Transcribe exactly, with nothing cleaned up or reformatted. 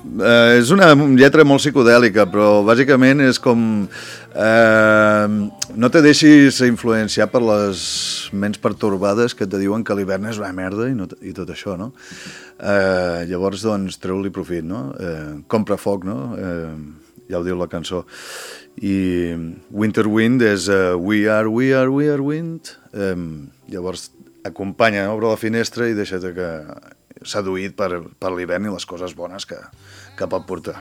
Eh, és una lletra molt psicodèlica, però bàsicament és com... Eh, no te deixis influenciar per les ments pertorbades que te diuen que l'hivern és una merda i, no, i tot això, no? Eh, llavors, doncs, treu-li profit, no? Eh, compra foc, no? Eh, ja ho diu la cançó. I Winter Wind és uh, We are, we are, we are wind. Eh, llavors, acompanya, obre la finestra i deixa't que... seduït per, per l'hivern i les coses bones que, que pot portar.